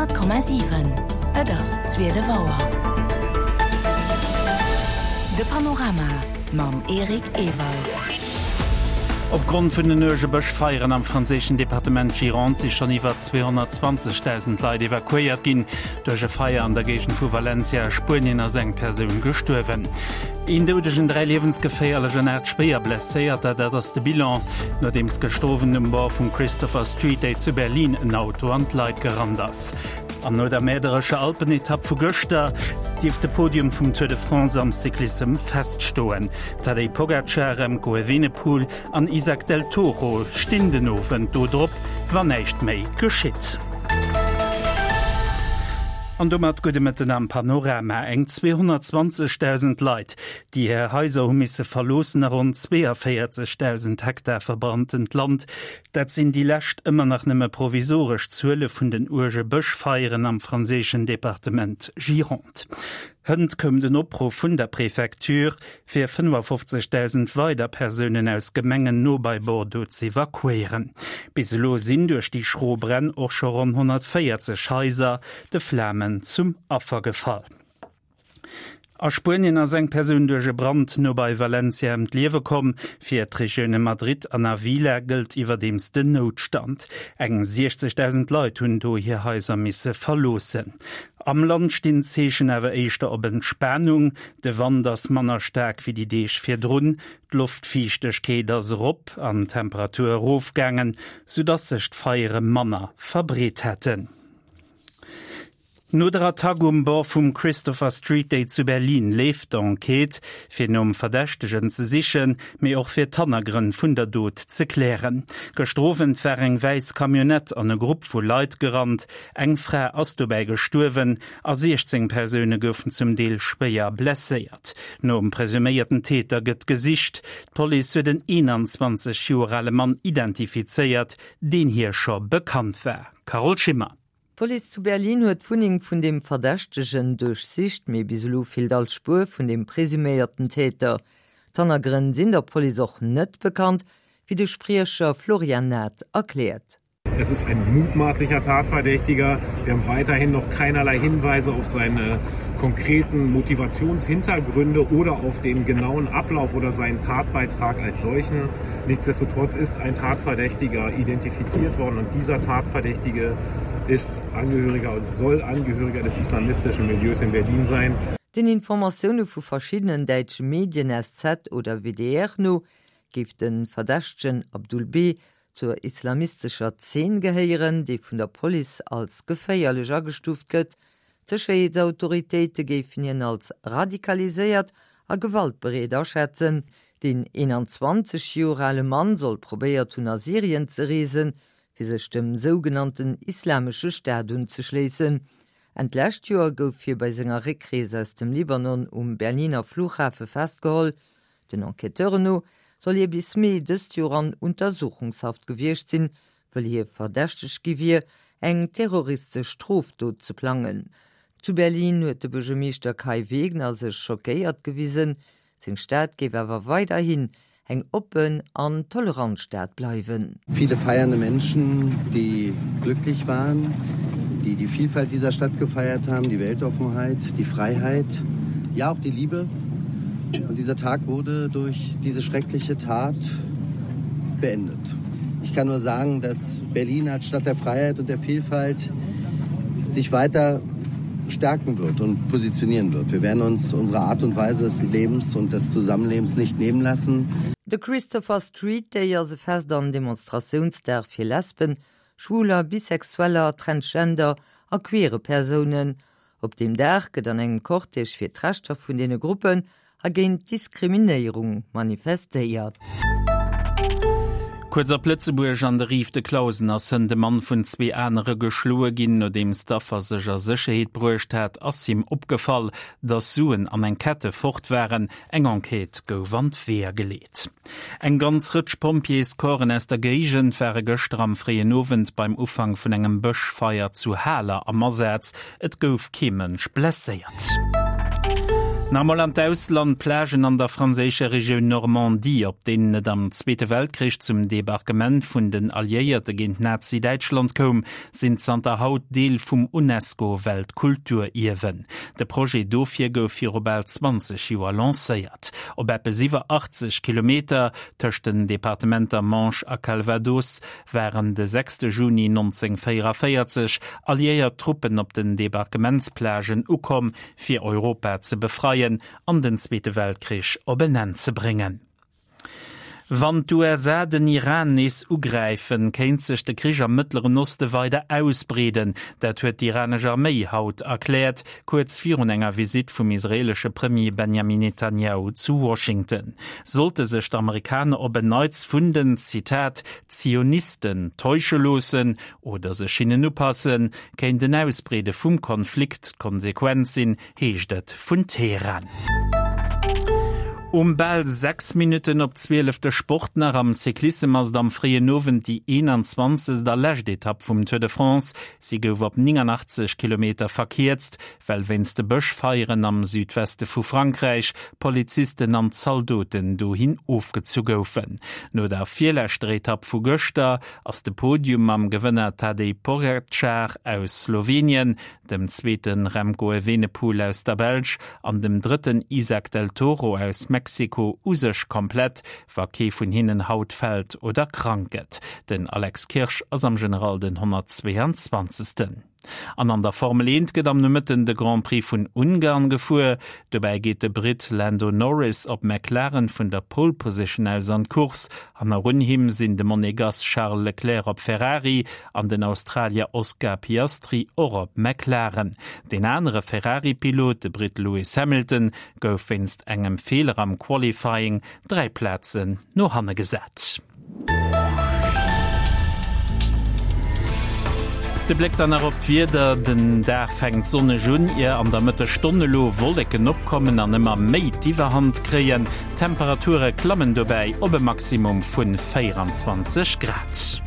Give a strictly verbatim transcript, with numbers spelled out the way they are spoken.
Honnert Komma siwen, Et ass zwielef Auer. De Panorama mam Eric Ewald. Opgrond vun den uerge Bëschfeieren am franséischen Departement Gironde si schonn iwwer zweehonnertzwanzegdausend Leit evakuéiert ginn. Duerch e Feier an der Géigend vu Valencia a Spuenien ass eng Persoun gestuerwen. Een Doudegen, dräi liewensgeféierlech an aacht schwéier Blesséierter, dat ass de Bilan, nodeems gëschter Owend um Bord vum Christopher Street Day zu Berlin en Auto an d'Leit gerannt ass. An no der mäerderescher Alpenetapp vu gëschter dierft de Podium vum Tour de France am Cyclissem feststoen. Tadej Pogacar, Remco Evenepoel an Isaac del Toro stinn den Owend do drop, wann näischt méi geschitt. An domat gudde Mëtten am Panorama. Eng zweehonnertzwanzegdausend Leit, déi hir Haiser hu misse verloossen a ronn zweeënvéierzegdausend Hektar verbranntent Land, dat sinn déi lescht, ëmmer nach nëmme provisoresch Zuele vun den uerge Bëschfeieren am franséischen Departement Gironde. Hënt koum den Opruff vun der Prefecture, fir fënnefofzegdausend weider Persounen aus Gemengen no bei Bordeaux z'evakuéieren. Bis elo sinn duerch déi schro Bränn och scho ronn honnertvéierzeg Haiser de Flamen zum Affer gefall. A Spuenien ass eng Persoun duerch e Brand no bei Valencia ëm d'Liewe komm. Fir d'Regioune Madrid an Avila gëllt iwwerdeems den Noutstand. Eng siechzegdausend Leit hunn do hir Haiser misse verloossen. Am Land stinn d'Zeechen awer éischter op Entspanung. De Wand ass manner staark wéi déi Deeg virdrun, d'Loftfiichtegkeet ass erop an d'Temperatur erofgaangen, soudass sech d'Feiere manner verbreet hätten. No der Attack um Bord vum Christopher Street Day zu Berlin leeft d'Enquête, fir nom Verdächtegen ze sichen, mee och fir d'Hannergrënn vun der Dot ze klären. Gëschter Owend war eng wäiss Camionnette an e Grupp vu Leit gerannt. Eng Fra ass dobäi gestuerwen a siechzéng Persoune goufen zum Deel schwéier blesséiert. Nom presuméierten Täter gëtt gesicht. D'Police huet en eenanzwanzeg Joer ale Mann identifizéiert, deen hir scho bekannt war. Carole Schimmer. D'Police zu Berlin huet d'Wunneng vun dem Verdächtegen duerchsicht, mee bis elo feelt all Spuer vun dem presuméierten Täter. D'Hannergrënn sinn der Police och net bekannt, wéi de Spriecher Florian Nath erkläert. Es ist ein mutmaßlicher Tatverdächtiger. Wir haben weiterhin noch keinerlei Hinweise auf seine konkreten Motivationshintergründe oder auf den genauen Ablauf oder seinen Tatbeitrag als solchen. Nichtsdestotrotz ist ein Tatverdächtiger identifiziert worden und dieser Tatverdächtige ist Angehöriger und soll Angehöriger des islamistischen Milieus in Berlin sein. Den Informatioune vu verschiddenen däitsche Medien, S Z oder W D R, no géif de Verdächtegen Abdul B. zur islamistescher Zeen gehéieren, déi vun der Police als geféierlech agestuuft gëtt. D'Sécherheetsautoritéite géifen hien als radikaliséiert a gewaltbereet aschätzen. Den eenanzwanzeg Joer ale Mann soll probéiert hunn a Syrien ze reesen, fir sech dem sougenannten Islamesche Staat unzeschléissen. Enn d'lescht Joer gouf hie bei senger Réckrees aus dem Libanon um Berliner Flughafe festgeholl. Den Enquêteuren no soll hie bis Mee dëst Joer an Untersuchungshaft gewiescht sinn, wëll hie verdächtegt gi wier, eng terroristesch Strofdot ze plangen. Zu Berlin huet de Buergermeeschter Kai Wegner sech schockéiert gewisen, seng Stad géif awer weiderhin eng oppen an tolerant Stad bleiwen. Viele feiernde Menschen, die glücklich waren, die die Vielfalt dieser Stadt gefeiert haben, die Weltoffenheit, die Freiheit, ja auch die Liebe. Und dieser Tag wurde durch diese schreckliche Tat beendet. Ich kann nur sagen, dass Berlin als Stadt der Freiheit und der Vielfalt sich weiter stärken wird und positionieren wird. Wir werden uns unsere Art und Weise des Lebens und des Zusammenlebens nicht nehmen lassen. De Christopher Street Day ass e Fest an Demonstratiounsdag fir Lesben, Schwuler, Bisexueller, Transgender a queere Persounen. Op deem Dag gëtt an engem Cortège fir d'Rechter vun deene Gruppen a géint Diskriminéierung manifestéiert. Kuerz op Lëtzebuerg, An der Rive de Clausen ass hënt e Mann vun zwee anere geschloe ginn. Nodeems d'Affer sech a Sécherheet bruecht hat, ass him opgefall, dass Suen an eng Kette fort waren. Eng Enquête gouf an d'Weeër geleet. Eng ganz Rëtsch Pompjeescorpsen aus der Géigend ware gëschter am fréien Owend beim Ufank vun engem Bëschfeier zu Haler am Asaz. Et gouf kee Mënsch blesséiert. Nach emol an d'Ausland, D'Plagen an der franséischer Regioun Normandie, op deenen et am Zweete Weltkrich zum Debarquement vun den Alliéierte géint Nazi-Däitschland koum, sinn zanter haut Deel vum UNESCO-Weltkulturierwen. De Projet dofir gouf viru bal zwanzeg Joer lancéiert. Op eppes iwwer achtzeg Kilometer tëscht den Departementer Manche a Calvados waren de sechste Juni nonzéngvéieraviertzeg alliéiert Truppen op den Debarquementsplagen ukomm, fir Europa ze befreien an den Zweete Weltkrich op en Enn ze bréngen. Wann d'USA den Iran nees ugräifen, kéint sech de Krich am Mëttleren Oste weider ausbreeden. Dat huet d'iranesch Arméi haut erkläert, kuerz virun enger Visitt vum israeelesche Premier Benjamin Netanjahu zu Washington. Sollte sech d'Amerikaner op en Neits vun den, Zitat, Zionisten täusche loossen oder sech hinnen upassen, kéint en Ausbreede vum Konflikt d'Konsequenz sinn, heescht et vun Teheran. Um bal sechs Minutten op zwielef de Sport nach, Am Cyclissem ass et am fréien Owend déi eenanzwanzegst a lescht Etapp vum Tour de France. Si gouf op néngannachtzeg Kilometer verkierzt, well wéinst de Bëschfeieren am Südweste vu Frankräich Polizisten an Zaldoten dohin ofgezu goufen. No der virleschter Etapp vu gëschter ass de Podium mam Gewënner Tadej Pogacar aus Slowenien, dem zweete Remco Evenepoel aus der Belsch an dem drëtten Isaac del Toro aus Mexiko u sech komplett, wa kee vun hinnen haut fält oder krank gëtt. Den Alex Kirsch ass am General den honnertzweeanzwanzegsten. An an der Formel eent gëtt am Nomëtten de Grand Prix vun Ungarn gefuer. Dobäi geet de Britt Lando Norris op McLaren vun der Pole Position aus an d'Course. Hannerun him sinn de Monegass Charles Leclerc op Ferrari an den Australier Oscar Piastri och op McLaren. Deen anere Ferrari-Pilot, de Britt Lewis Hamilton, gouf wéinst engem Feeler am Qualifying dräi Plazen no hanne gesat. De Bléck dann nach op d'Wieder, Den Dag fänkt sonneg un, ier an der Mëttesstonn elo Wolleken opkommen an ëmmer méi d'Iwwerhand kréien. D'Temperature klammen dobäi op e Maximum vu véieranzwanzeg Grad.